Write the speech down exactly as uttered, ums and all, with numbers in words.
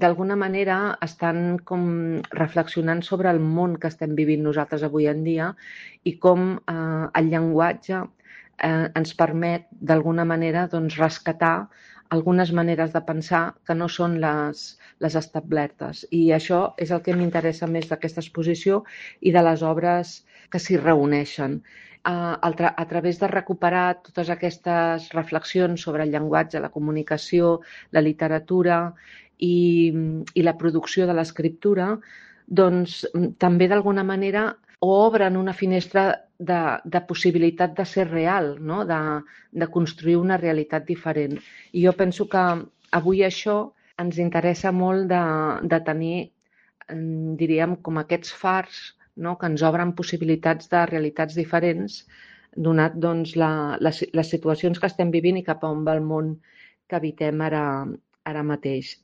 d'alguna manera estan com reflexionant sobre el món que estem vivint nosaltres avui en dia i com eh, el llenguatge eh, ens permet d'alguna manera doncs, rescatar algunes maneres de pensar que no són les, les establertes. I això és el que m'interessa més d'aquesta exposició i de les obres que s'hi reuneixen. Uh, tra a través de recuperar totes aquestes reflexions sobre el llenguatge, la comunicació, la literatura i, i la producció de l'escriptura, doncs també d'alguna manera obren una finestra de, de possibilitat de ser real, no? de, de construir una realitat diferent. I jo penso que avui això ens interessa molt de, de tenir, diríem, com aquests fars, no? que ens obren possibilitats de realitats diferents, donat doncs, la, les, les situacions que estem vivint i cap a on va el món que habitem ara, ara mateix.